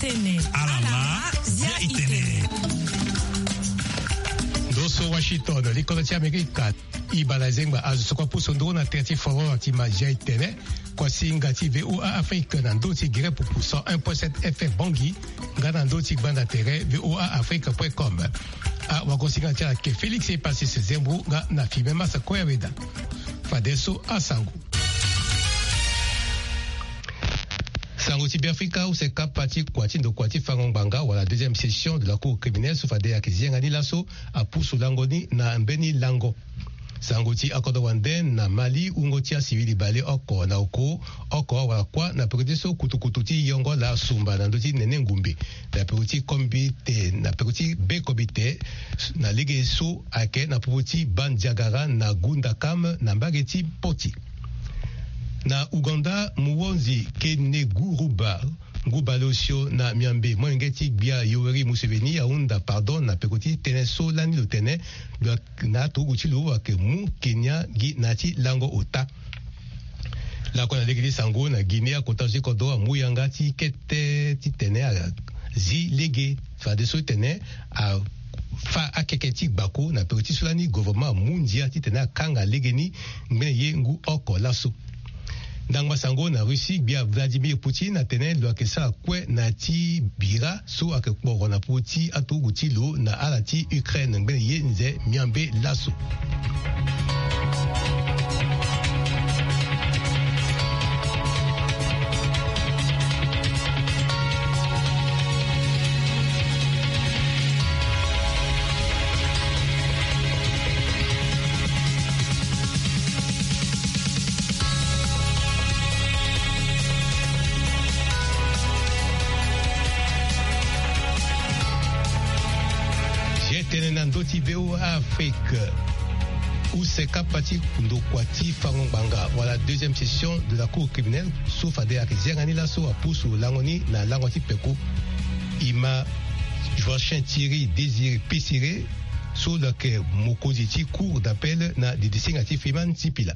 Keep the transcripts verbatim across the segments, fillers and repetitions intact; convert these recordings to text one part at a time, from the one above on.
Alama, zia itene. Ndo so Washington, likolo ti Amerika. Ibala zengba azo so kua pusu nduru na tere ti foro ti ma zia itene. Kuasinga ti VOA Afrique na ndö ti gere pupu cent un point sept F M Bangui, nga na ndö ti gbanda tere VOA Afrique point com. Awagosinga ti ala ke Félix Epasis Zembro nga na Firmin Massa Koyaweda. Fadeso asango. Sango ti Beafrika, use kapa ti kua ti ndokua ti fango ngbanga wala deuxième session de la cour criminelle so fade ayeke zi yanga ni laso apusu lango ni na mbeni lango. Sango ti akodro wande na Mali, wungo ti asivili bale oko na oko, oko wala kuâ na peko ti so kutukutu ti yongo laa sumba na ndö ti nene ngumbe, na peko ti kombite, na peko ti be kombite, na lege so ayeke na popo ti Bandiagara na Gundakam na mbage ti Poti. Na Ouganda, Muhoozi Kaineguruba, ngu bale osio na miambe molenge ti gbia Yoweri Museveni ahunda pardon na peko ti tënë so lani lo tene lo na aturugu ti lo ayeke mu Kenya gi na ya ti lango ota. Lakue na lege ti sango na Guinée, akota zo ti kodro amu yanga ti kete titene azi lege fadeso titene afa akeke ti gbako na peko ti so lani gouvernement amu ndia titene akanga lege ni ngbene ye ngu oko laso. Ndangba sango na Russie, gbia Vladimir Poutine atene lo yeke sara kue na ya ti bira so ayeke kporo na popo ti aturugu ti lo na ala ti Ukraine ngbene ye nze miambe laso. Zi tene na ndö ti VOA Afrique. Use kapa ti ndokua ti fango ngbanga wala deuxième session de la cour criminelle so fade ayeke zi yanga ni laso apusu lango ni na lango ti peko. E ma Joachim Thierry Désiré Pessiré so lo yeke mokonzi ti cour d'appel na didisinga ti Freeman Sipila.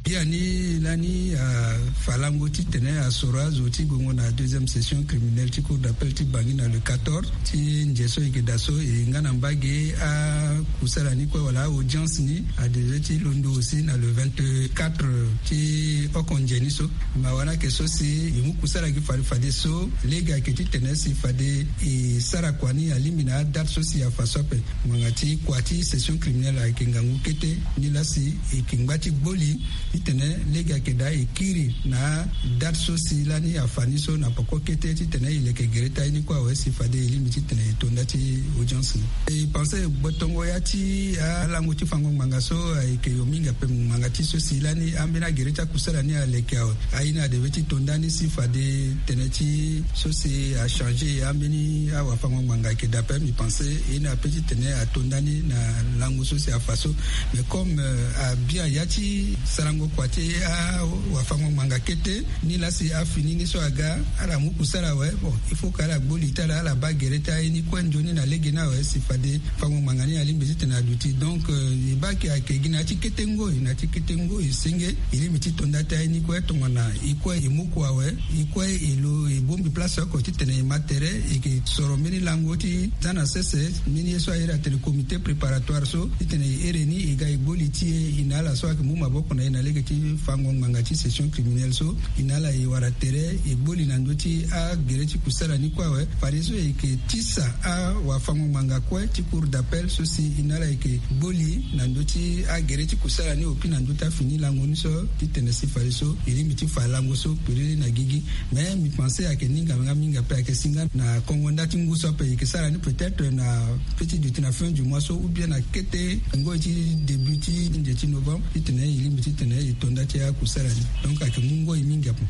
Biani lani afa lango titene asoro azo ti gongo na deuxième session criminelle ti cour d'appel ti Bangui na le quatorze ti nze so e yeke daa so, e nga na mbage akusala ni kue wala audience ni adevait ti londo aussi na le vingt-quatre ti oko nze ni so. Ma wana ayeke so si e mu kusala gi fade fadeso lege ayeke titene si fade e sara kua ni alingbi na adate so si afa so ape. Ngbanga ti kua ti session criminelle ayeke ngangu kete ni laa si e yeke ngba ti gboli titene lege ayeke daa e kiri na adate so si lani afa ni so na poko kete titene e leke gere ti aye ni kue awe si fade e lingbi titene e to nda ti audience ni. E pense gbotongo ya ti alango ti fango ngbanga so ayeke yo mingi ape ngbanga ti so si lani ambeni agere ti akusala ni aleke awe. Aye ni adevait ti to nda ni si fade tene ti so si achangé ambeni awafango ngbanga ayeke daa ape, mbi pense e na ape titene ato nda ni na lango so si afa so. Mais comme abia ya ti sarango kua ti awafango ngbanga kete ni laa si afini ni so aga ala mu kusala awe, bon, il faut que ala gboli ti ala ala baa gere ti aye ni kue nzoni na lege ni awe si fade fango ngbanga ni alingbi titene aduti. Donc e baa ayeke gi na ya ti kete ngoi, na ya ti kete ngoi senge e lingbi ti to nda ti aye ni kue tongana e kue e mu kua awe, e kue e lo e bongbi place oko titene e ma tere e yeke soro mbeni lango ti za na sese mbeni ye so aye atene comité préparatoire so titene e here ni e ga e gboli ti e e na ala so ayeke mu maboko na e na lege ti fango ngbanga ti session criminelle so e na ala e wara tere e gboli na ndö ti agere ti kusala ni kue awe. Fadeso e yeke tisa awafango ngbanga kue ti cour d'appel so si e na ala e yeke gboli na ndö ti agere ti kusala ni opi na ndö ti afini lango ni so titene si fadeso e lingbi ti fa lango so kpiriri na gigi. Mais mbi pense ayeke ni nga mingi ape ayeke si nga na kongo nda ti ngu so ape e yeke sara ni peut-être na petit duti na fin du mois so ou bien na kete ngoi ti début ti nze ti novembre titene e lingbi titene e to nda ti akusala ni. Donc ayeke mu ngoi mingi ape.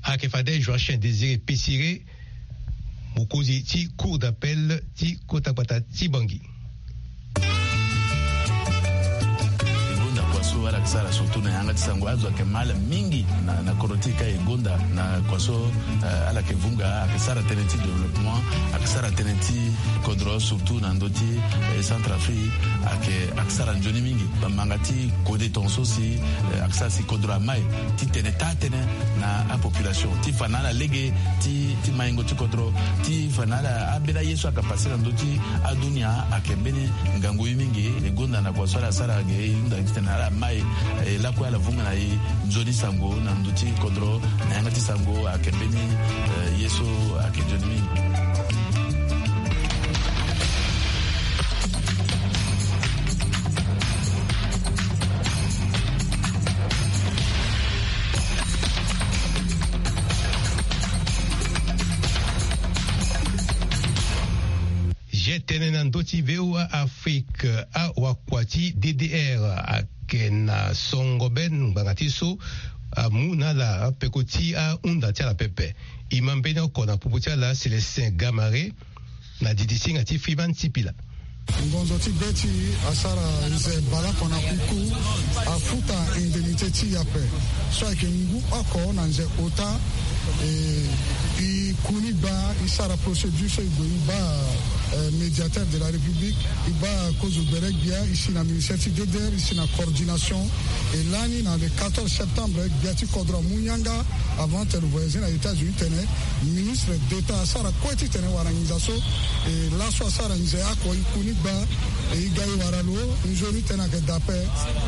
Ayeke fade Joachim Désiré Pessiré, mokonzi ti cour d'appel ti kota gbata ti Bangui. E gonda kua so ala yeke sara surtout na yanga ti sango azo ayeke mal mingi na, na kodro ti e ka e gonda na kua so, eh, ala yeke vunga ayeke sara tënë ti développement, ayeke Sara tënë ti kodro, surtout na ndö ti, eh, Centrafrique, ayeke, ayeke sara nzoni mingi. Manga ti kode tongaso si, eh, ayeke sara si kodro amai titene taa tënë na apopulation ti fa na ala lege ti, ti maingo ti kodro, ti fa na ala ambeni aye so ayeke pase na ndö ti adunia, ayeke mbeni ngangu ye mingi. E gonda na kua so ala sara ge, e hunda titene ala mai, eh, lakue ala vunga na e nzoni sango na ndö ti kodro, na yanga ti sango ayeke mbeni, eh, ye so ayeke nzoni mingi. Zia tënë na ndö ti V O A Afrique, awakua ti D D R ayeke na songo be ngbanga ti so amu na ala peko ti ahunda ti ala pepe. E ma mbeni oko na popo ti ala Célestin Gamare na didi singa ti Freeman Sipila. Ngonzo ti be ti e asara nze baleoko na uku, afuta indemnité ti e ape. So ayeke ngu oko na nze ota, e, e kuni baa, e sara procédure so e gue e baa, eh, médiateur de la République, e baa kozo gbere gbia, e si na ministère ti D D R, e si na coordination. E lani na le quatorze septembre, gbia ti kodro amu yanga avant tene lo voyager na États-Unis tene ministre d'État asara kue titene wara nginza so, e laso asara nze oko, e kuni baa, e ga e wara lo nzoni tënë ayeke daa ape.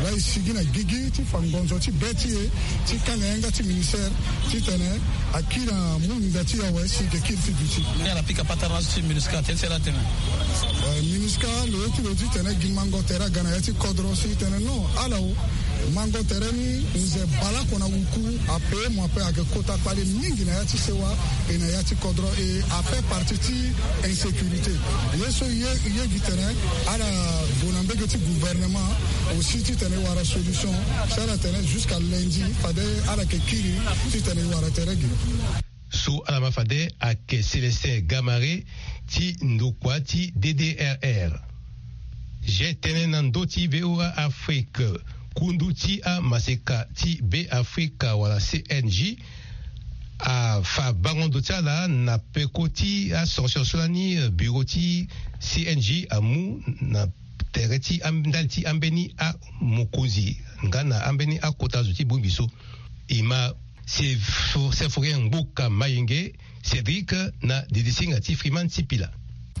Laa e sigi na gigi ti fa ngonzo ti be ti e ti kanga yanga ti ministère titene akiri amu nginza ti e awe si e yeke kiri ti duti. Ni ala pika patara laso ti MINUSCA, tënë ti ala atene. Eh, MINUSCA lo ye ti lo titene gi mango tere aga na ya ti kodro si e tene non, ala o. Mango tere ni, nze baleoko na uku ape, mo ape ayeke kota kpale mingi na ya ti sewa e na ya ti kodro, e afaire partie ti insécurité. Ye so e ye, e ye gi tene ala gue na mbege ti gouvernement aussi titene e wara solution. Si ala tene jusqu'à lundi fade ala yeke kiri titene e wara tere ge. So ala ma fade ayeke Célestin Gamare ti ndokua ti D D R R. Zia tënë na ndö ti V O A Afrique, kundu ti amaseka ti Be Afrika wala C N J afa bango ndo ti ala na peko ti asanction so lani, eh, bureau ti C N J amu na tere ti am-, ndali ti ambeni amokonzi nga na ambeni akota zo ti bongbi so. E ma Sef-, Sefurien Ngboka Mayenge, Cédric na didi singa ti Freeman Sipila.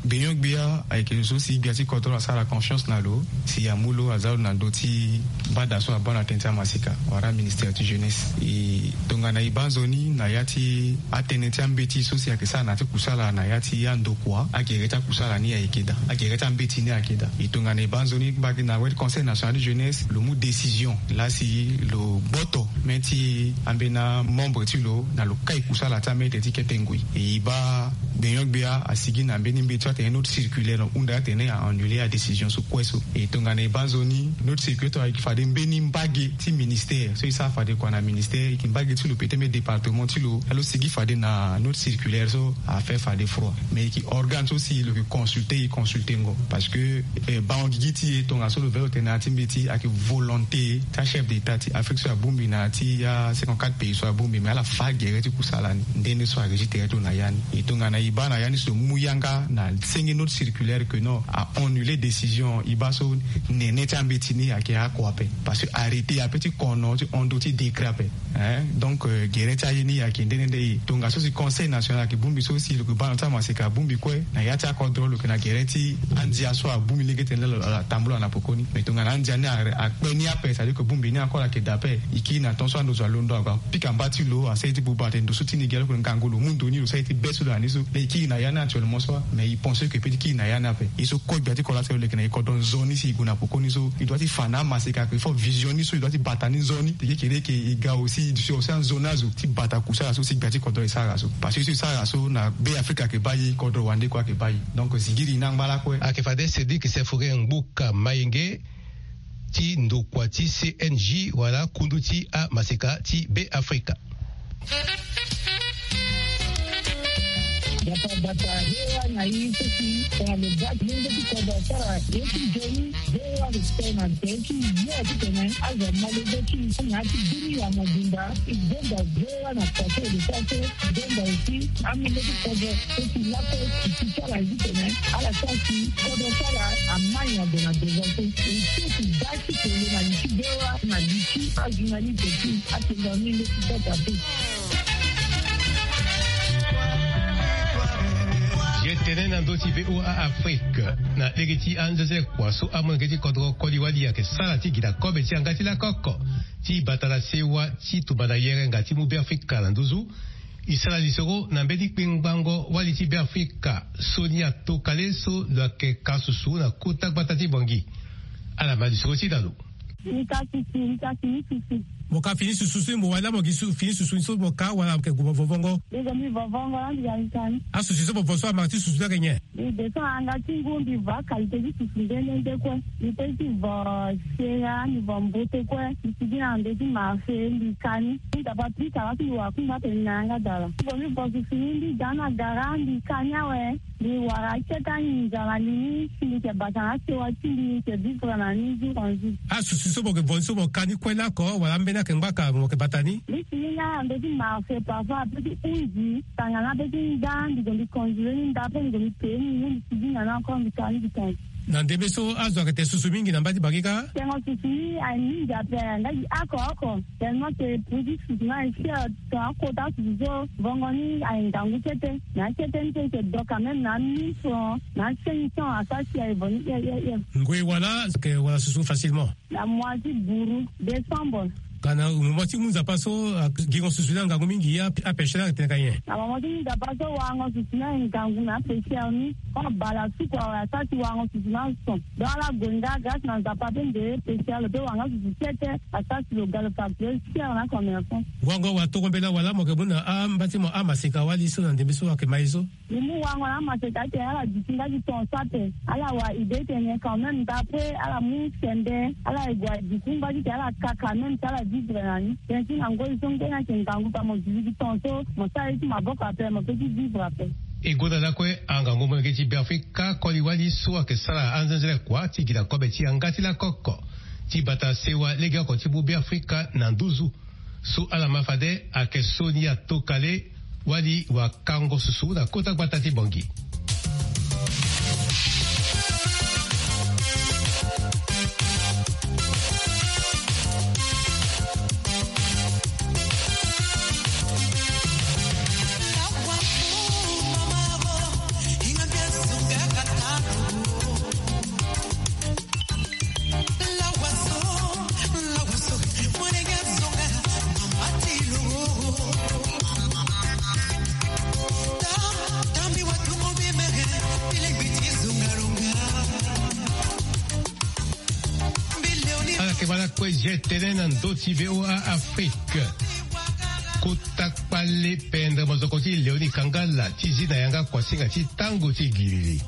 Gbenyo-gbia ayeke lo so si gbia ti kodro asara confiance na lo, si amu lo aza lo na ndö ti bada so abaa na tënë ti amaseka wala ministère ti jeunesse. E tongana e baa nzoni na ya ti atënë ti ambeti so si ayeke sara na ya ti kusala na ya ti andokua, agere ti akusala ni ayeke daa, agere ti ambeti ni ayeke daa. E tongana e baa nzoni mbage na wet Conseil national de jeunesse, lo mu décision laa si lo gboto même ti ambeni amembre ti lo na lo kai kusala ti amete ti kete ngoi. E e baa gbenyo-gbia asigi na mbeni mbeti so atene note circulaire, lo hunda atene a annuler adécision so kue so. E tongana e baa nzoni, note circulaire so ayeke fade mbeni mbage ti ministère so e sara fade kua na ministère, e yeke mbage ti lo peut-être même département ti lo, laa lo sigi fade na note circulaire so afaire fade froid. Mais e yeke organe so si lo yeke consulter, e consulter ngo. Parce que, eh, bango gigi ti e tongaso lo veni lo tene na ya ti mbeti ayeke volonté ti achef d'état ti Afrique so abongbi na ya ti a cinquante-quatre pays so abongbi, mais ala fa gere ti kusala ni. Nde nde so arégir tere ti lo na ya ni. E tongana e baa na ya ni so lo mu yanga na senge note circulaire que non, a annuler décision e baa so nene ti ambeti ni ayeke oko ape. Parce que arrêté ape ti kono ti hon ndo ti décret ape. Hein? Donc, euh, gere ti aye ni ayeke nde nde nde e. Tongaso si Conseil national ayeke bongbi so si lo yeke baa na ti amaseka abongbi kue na ya ti akodro, lo yeke na gere ti andia so abongbi lege titene lo atambula na pokoni. Mais tongana andia ni a, akpe ni ape, c'est-à-dire que bongbi ni encore ayeke daa ape, e kiri na temps so ando zo alondo, ague apika mba ti lo, asara ye ti buba atene ndo so ti ni gi alo, ngangu lo mu ndo ni, lo sara ye ti be so lo na ni so. Laa e kiri na ya ni actuellement so, mais e pense que e peut ti kiri na ya ni ape. E so kue gbia ti kodro laa si lo leke na e kodro nzoni si e gue na pokoni so, e doit ti fa na amaseka, il faut vision ni so e doit ti bata ni nzoni. Teke kere ke e ga aussi, e duti aussi anzoni azo ti bata kusala so si gbia ti kodro e sara so. Parce que so e sara so na Be Afrika ayeke baa e, kodro wande kue ayeke baa e. Donc zingiri e na angba lakue. Ayeke fade Cédric Sefurien Ngboka Mayenge ti ndokua ti C N J wala kundu ti amaseka ti Be Afrika. Bata bata hewa na i soki tongana lo bati lenge ti kodro sara ye ti joni. Hewa lo tena ye ti yo ti tene azo malege ti na ti bini ya mobimba. I zonda hewa na kase lo sara so zonda aussi amenge ti kodro soki lako ti sara ye ti tene ala sara si kodro sara amai na ndo na devant so. I soki bati tele na li ti hewa na li ti ajournaliste ti atenda menge ti kota te. Ye tene na ndö ti V O A Afrique na lege ti anzenze kua so amolenge ti kodro koli wali ayeke sara ti gi na kobe ti yanga ti lakoko ti bata na sewa ti tumba na yerenga ti mu Beafrika na nduzu. E sara lisoro na mbeni kpengbango wali ti Beafrika Sonia Tokale so lo yeke ka susu na kota gbata ti Bangui. Ala ma lisoro ti dalo. Ni ka susu, ni ka fini susu. Mo ka fini susu so mo wala mo gi su-, fini susu so mo ka wala mo yeke gue mo vovongo. Ni gue mbi vovongo la mbi ga ni ka ni. Asusu so mo vo so amara ti susu so ayeke nyen? Mbi descend na yanga ti ngu mbi vo akalité ti susu nde nde nde kue. Mbi pe ti vo sera, mbi vo mbote kue. Mbi sigi na ndo ti marché mbi ka ni. Mbi tapa pika la ti mbi wara kungba atene ni na yanga dala. Mbi gue mbi vo susu ni mbi ga na gara mbi ka ni awe. Mbi wara akete anginza na li ni si mbi yeke bata na asewa ti mbi, mbi yeke vivre na ni jour en jour. Asusu so mo yeke vo ni so mo ka ni kue lako wala ambeni ayeke ngbaka mo yeke bata ni? Mbi si ni nga na ndo ti marché parfois ape ti hunzi tanga na ape ti nda mbi gue mbi congelé ni nda ape mbi gue mbi pee ni ngu mbi si ni na ni encore mbi ka ni mbi tonga. Na ndembe so azo ayeke tene susu mingi na mba ti Bangui kâ? Tengo susu ni aye mingi ape nga gi oko oko. Tellement que prix ti susu ni aye cher. Tongana akota susu so vongo ni aye ngangu kete. Na akete ni so e yeke do quand même na mille francs na cinq cents asara si aye vo ni hie hie hie. Ngoi wala ayeke wara susu facilement? Na mois ti buru, décembre. Ka na mo ti mu nzapa so a- gingo susu ni angangu mingi a- apêche ni ayeke tene ka nyen? Na mo ti mu nzapa so warango susu ni aye ngangu na apêcheur ni. Koma bala suku awe asara si warango susu ni ason. Donc ala gue nga grâce na nzapa pe nde pêcheur lo pe wara nga susu kete. Asara si lo ga lo facture cher na commerçant. Wango wa toko mbela wala mo yeke mu na amba ti mo amaseka wali so na ndembe so ayeke ma ye so? Mbi mu wango na amaseka atene ala duti nga ti ton so ape. Ala wa idée tene quand même nda après ala mu sembe ala ye gue aduti nga ti tene ala ka quand même ti ala vivre na ni. Tene ti na ngoi so ngbeni ayeke ngangu pa mo duti ti ton so mo sara ye ti maboko ape mo pe ti vivre ape. E gonda lakue angangu molenge ti Beafrika koli wali so ayeke sara anzenzele kua ti gi na kobe ti yanga ti lakoko ti bata sewa legeoko ti mu Beafrika na nduzu. So ala ma fade ayeke Sonia Tokale wali wakango susu na kota gbata ti Bangui. Ala yeke ma lakue ye tënë na ndö ti V O A Afrique. Kota kpale pendere mozoko ti Léonie Kangala ti zi na yanga kuasinga ti tango ti giriri.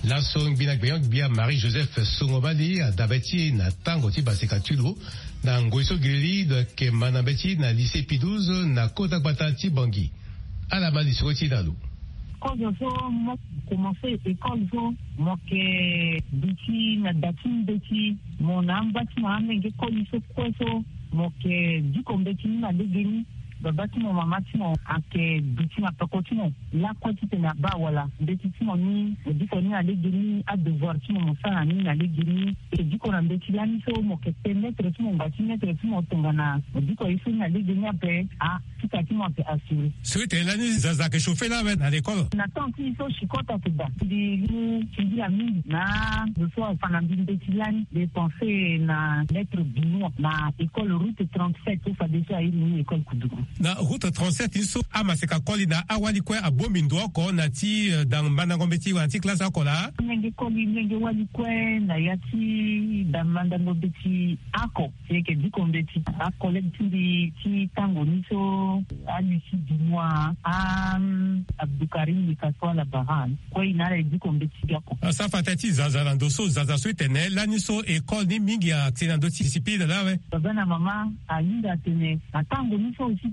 Laso ngbi na gbenyo-gbia Marie Joseph Songomali adabe ti e na tango ti basika ti lo na ngoi so giriri lo yeke ma na mbeti na lycée Pie douze na kota gbata ti Bangui. Ala ma lisoro ti e na lo. Kozo so mo commencé école so mo yeke duti na da ti mbeti mo na amba ti mo amenge koli so kue so mo yeke diko mbeti ni na legeni. Baba ti mo mama ti mo ayeke duti na peko ti mo lakue titene abaa wala mbeti ti mo ni mo diko ni na legeni adevoir ti mo mo sara na ni na legeni. E diko na mbeti lani so mo yeke pe maître ti mo ngba ti maître ti mo tongana mo diko ye so ni na legeni ape a. Sika ti mo ayeke assuré. So ete lani zaza ayeke chauffer lawe na l'école. Na temps ti e so chicot ayeke daa mbi mu singila mingi na zo so afa na mbi mbeti lani. Mbi pensé na maître Benoît na école route trente-sept so fadeso airi ni école Koudougou. Na route trente-sept ni so amaseka koli na awali kue abongbi ndo oko na ti, eh, da mandango mbeti wala ti classe oko laa. Menge koli menge wali kue na ya ti da mandango mbeti oko. Si e yeke diko mbeti acollègue ti mbi ti tango ni so alucie Benoît, a Abdoukarim Likasoa Labaran kue e na ala e diko mbeti gi oko. Asara fa tënë ti zaza na ndo so zaza so e tene lani so école ni mingi ayeke na ndö ti discipline lawe. Baba na mama ahinga atene na tango ni so aussi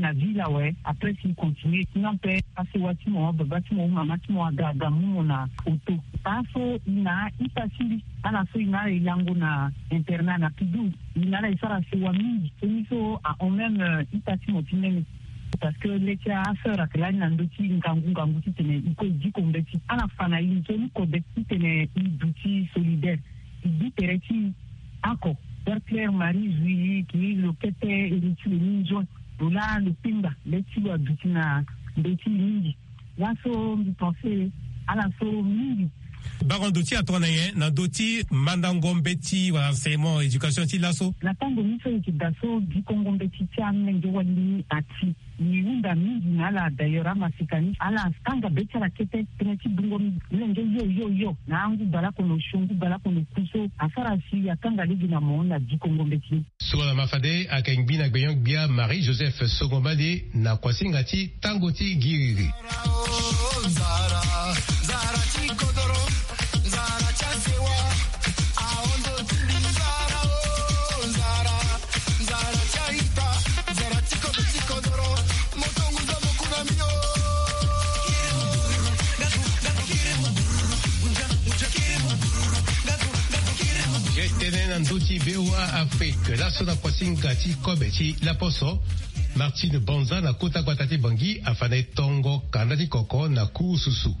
na ville awe. Après si continue sinon pe asewa ti mo, baba ti mo, mama ti mo aga aga mu mo na auto. Paa so i na ita ti mbi, ala so i na ala e lango na internat na pidou, i na ala e sara sewa mingi. Soni so ahon même ita ti mo ti nene. Parce que le ti aseur ake lani na ndö ti ngangu ngangu titene i kue i diko mbeti ala fa na i nzoni kode titene i duti solidaire. I du tere ti i ako. Père Claire Marie Julie ki lo kete eri ti lo ni nzoni, lo laa lo pinga le ti lo aduti na mbeti mingi. Laso mbi pense ala so mingi. Bango ndo ti atona ye na ndo ti mandango mbeti wala enseignement éducation ti laso. Na tango ni so yeke daa so dikongo mbeti ti amenge wali ni ati. Ni hunda mingi na ala d'ailleurs amasika ni ala tanga be ti ala kete tënë ti bungo mingi. Lenge yo yo yo na angu baleoko na osio ngu baleoko na oku so asara si atanga lege na mo na dikongo mbeti ni. So ala ma fade ayeke ngbi na gbenyo-gbia Marie Joseph Songomali na kuasinga ti tango ti giriri. Ye tënë na ndö ti V O A Afrique laso na kuasinga ti kobe ti laposo. Martine Banza na kota gbata ti Bangui afa na e tongo kanda ti koko na kurususu.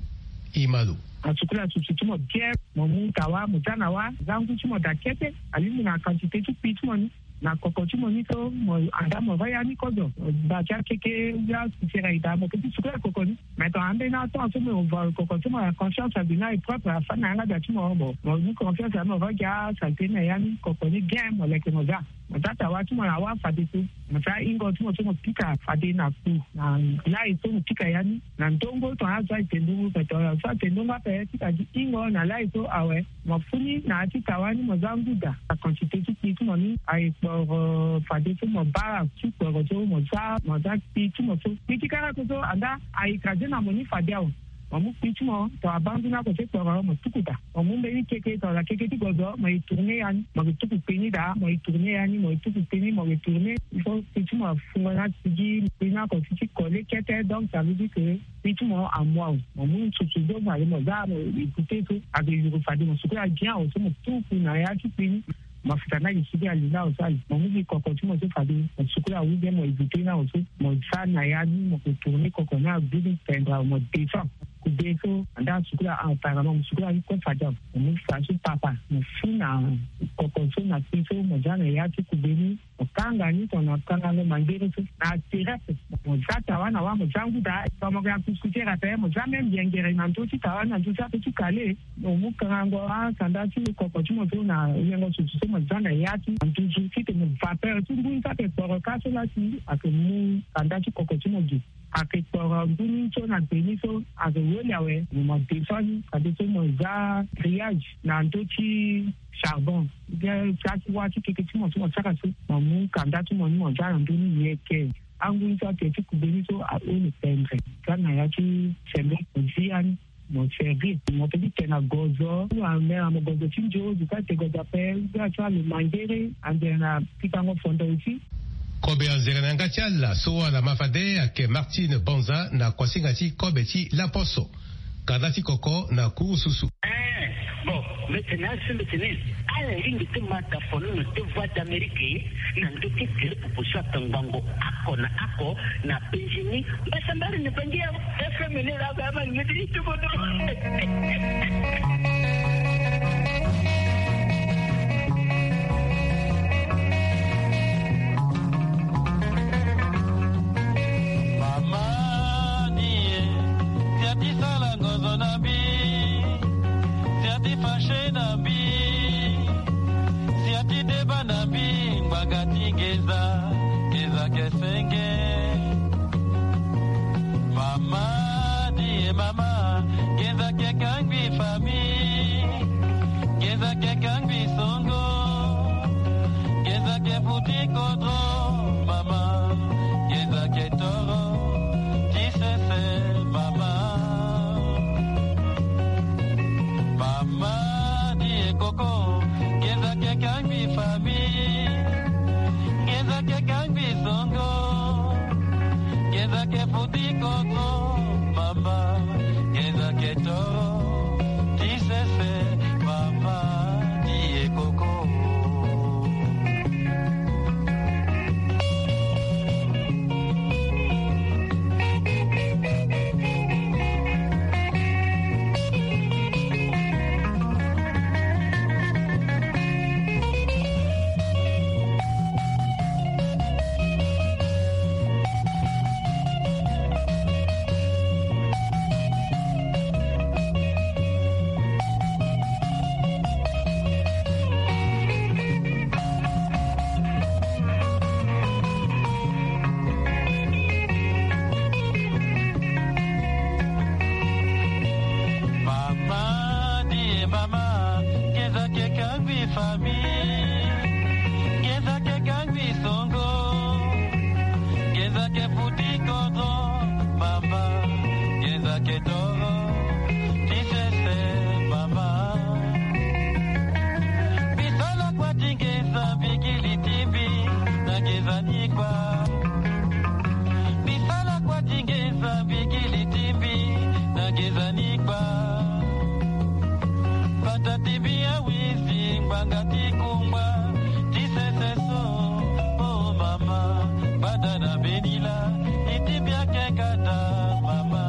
Imalo. Asukula susu ti mo bien, mo mu tawa mo za na wa, za ngu ti mo daa kete. Alingbi na quantité ti kpi ti mo ni na koko ti mo ni so mo anda mo va ya ni kozo. Ba ti akeke ya sisera ida mo keti sukula koko ni. Mais ton ambeni aton so mo va koko ti mo na conscience abi na e propre afa na yanga da ti mo mo mo ni confiance abi mo va gi asalte na ya ni koko ni bien mo leke mo za. Mo za tawa ti mo na wa fadeso. Mo za ingo ti mo so mo pika fade na kpu na lai so mo pika ya ni. Na ndongo tongana azo aye te ndongo ape tongana azo aye te ndongo ape ti ka gi ingo na lai so awe. Mo fu ni na ya ti tawa ni mo za nguda. Quantité ti kpi ti mo ni aye kporo fadeso mo bara ti kporo so mo za mo za kpi ti mo so kpi ti kara so so anda aye kaze na mo ni fade awe. Mo mu kpi ti mo tongana bangu ni ako ti kporo mo tuku daa. Mo mu mbeni keke tongana keke ti gozo mo ye tourne ya ni mo ye tuku kpe ni daa mo ye tourne ya ni mo ye tuku kpe ni mo ye tourne. Il faut kpe ti mo afungo na sigi kpe ni ako ti ti kole kete donc ça veut dire que kpe ti mo amu awe. Mo mu nsusu so mo ale mo za mo ye goute so ake yuru fade mo sukula bien awe so mo tuku na ya ti kpe ni. Mo fika na gi sigi ali na awe so ali mo mu gi koko ti mo so fade mo sukula ou bien mo ye goute na awe so mo za na ya ni mo ko tourne koko ni agbu ni tendre awe mo descend. Kube so anda asukula apparemment mo sukula ni kue fade awe. Mo mu fa so papa mo fu na koko so na kpe so mo za na ya ti kube ni. Mo kanga ni tongana kangango mangere so na terrasse. Mo za tawa na wa mo za ngu daa tongana mo yeke na kuskusere ape mo za même yengere na ndö ti tawa ni na ndö ti ape ti kale. Mo mu kangango asanda ti koko ti mo so na yengo susu so mo za na ya ti na nduzu titene vapeur ti ngu ni so ayeke kporo ka so laa si ayeke mu kanda ti koko ti mo gi. Ayeke kporo ngu ni so na gbe ni so ayeke weli awe mo mo descend ni fadeso mo za grillage na ndö ti charbon. Bien sa ti wa ti keke ti mo so mo sara so mo mu kanda ti mo ni mo za na ndö ni yeke. Angu ni so ake ti kube ni so awe le pendre za na ya ti sembe mo zi ya ni. Mo servir mo pe ti tene na gozo amera mo gozo ti nzo duka te gozo ape. Za ti alo mangere anzere na pikango fondo aussi. Kobe anzere na yanga ti ala so ala ma fade ayeke Martine Banza na kuasinga ti kobe ti laposo. Kanda ti koko na kurususu. Eh, bon, mbetene asi mbetene. Ala lingbi ti ma tafono na te voix d'Amérique na ndö ti gere popo so atangbango ako na ako na penjini. Mbasambari ni bangi ya F M ni la ba ma ni ti tuko do. Mama ni e, tia ti sala ngozo na mbi, tia ti fache na mbi, tia ti deba na mbi, ngbanga ti ngenza, ngenza ke senge. Mama ni e mama, ngenza ke kangbi famille, ngenza ke kangbi songo, ngenza ke futi kodro, mama, ngenza ke toro, ti sese, mama. Mama ni e koko, ngenza ke kangbi famille, ngenza ke kangbi songo, ngenza ke futi kodro, mama, ngenza ke toro, ti sese, mama ni e koko. Mama ni e mama, ngenza ke kangbi famille, ngenza ke kangbi songo, ngenza ke futi kodro, mama, ngenza ke toro, ti sese, mama. Bisala kwa ti ngenza mbigili ti mbi na ngenza ni kwa. Bisala kwa ti ngenza mbigili ti mbi na ngenza ni kwa. Bata ti mbi awizi ngbanga ti kungba ti sese so. Oh mama, bada na beni la, ni ti mbi ake kata, mama.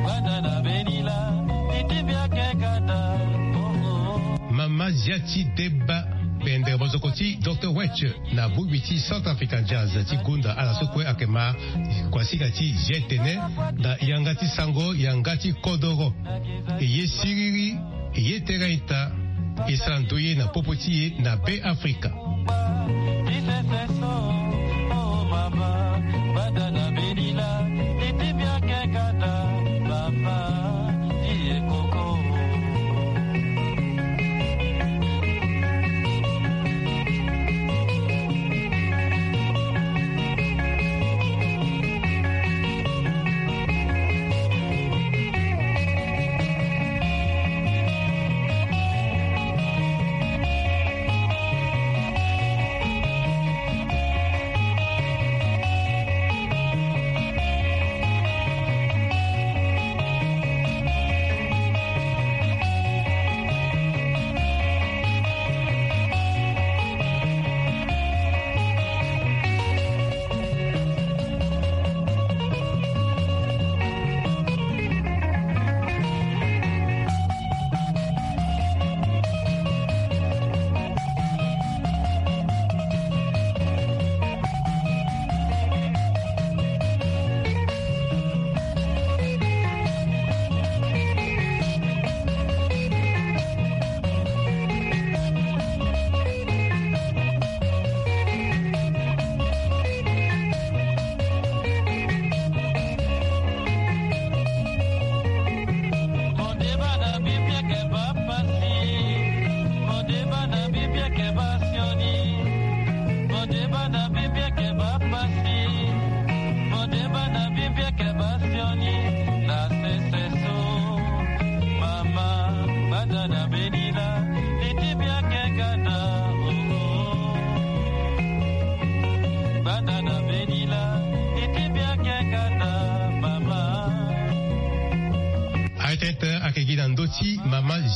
Bada na beni la, ni ti mbi ake kata, oh, oh. Mama Ziati Deba, pendere mozoko ti Docteur Wetch na bongbi ti Centrafrican Jazz ti gonda ala so kue ayeke ma kuasinga ti G T N na yanga ti sango yanga ti kodoro. E ye siriri, e ye tere ita, e sara ndoye na popo ti e na Be Afrika.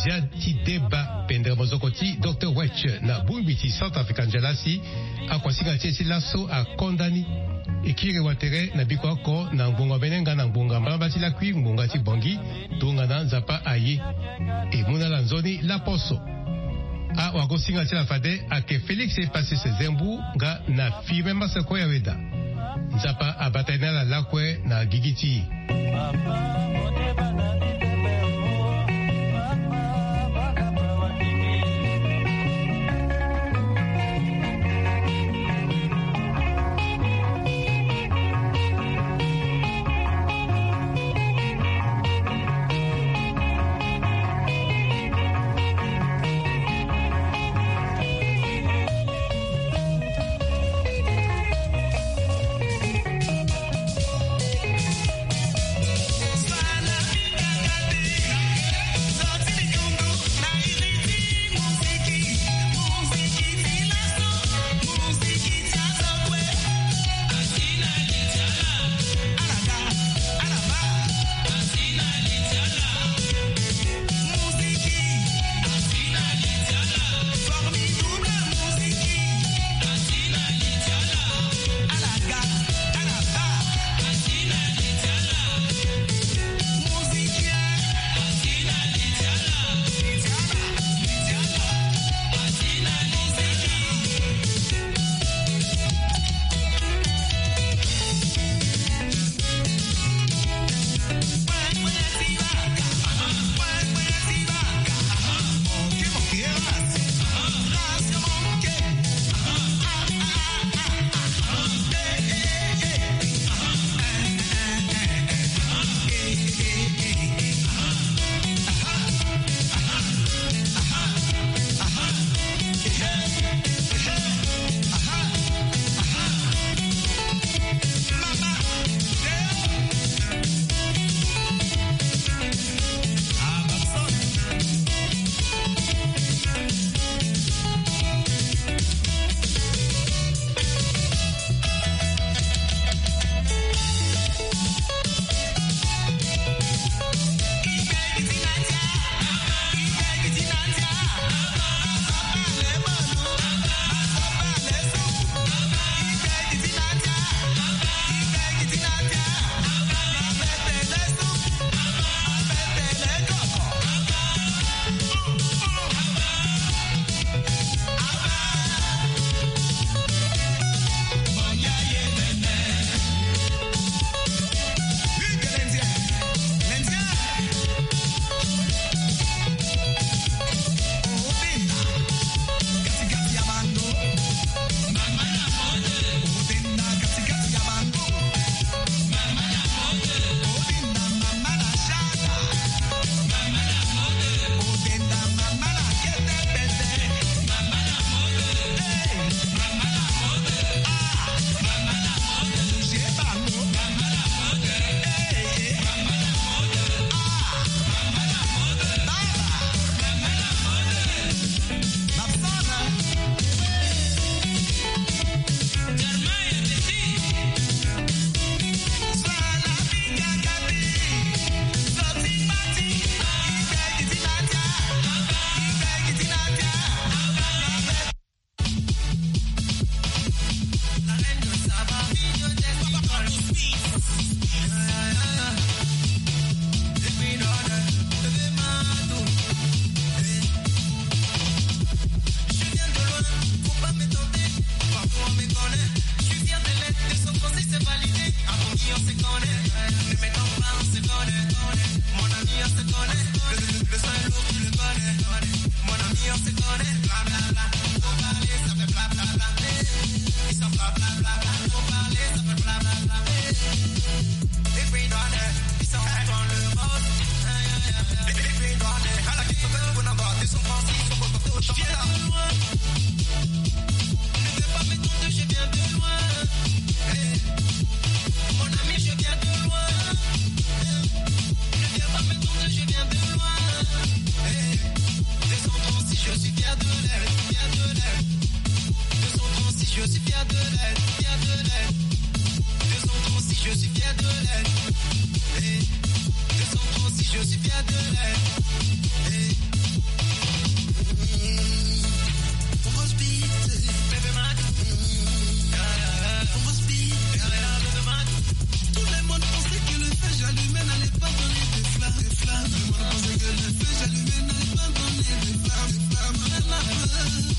Zia ti deba pendere mozoko ti Dr Wetch na bongbi ti Centrafrica Njalasi. Akuasinga ti e ti laso akonda ni. E kiri wa tere na biko oko na ngbonga mbene nga na ngbonga mbalamba ti lakui ngbonga ti Bangui. Tongana Nzapa aye, e mu na ala nzoni laposo. Awagosinga ti ala fade ayeke Félix Epasis Zembu nga na Firmin Maseko Yaweda. Nzapa abata ye na ala lakue na gigi ti e.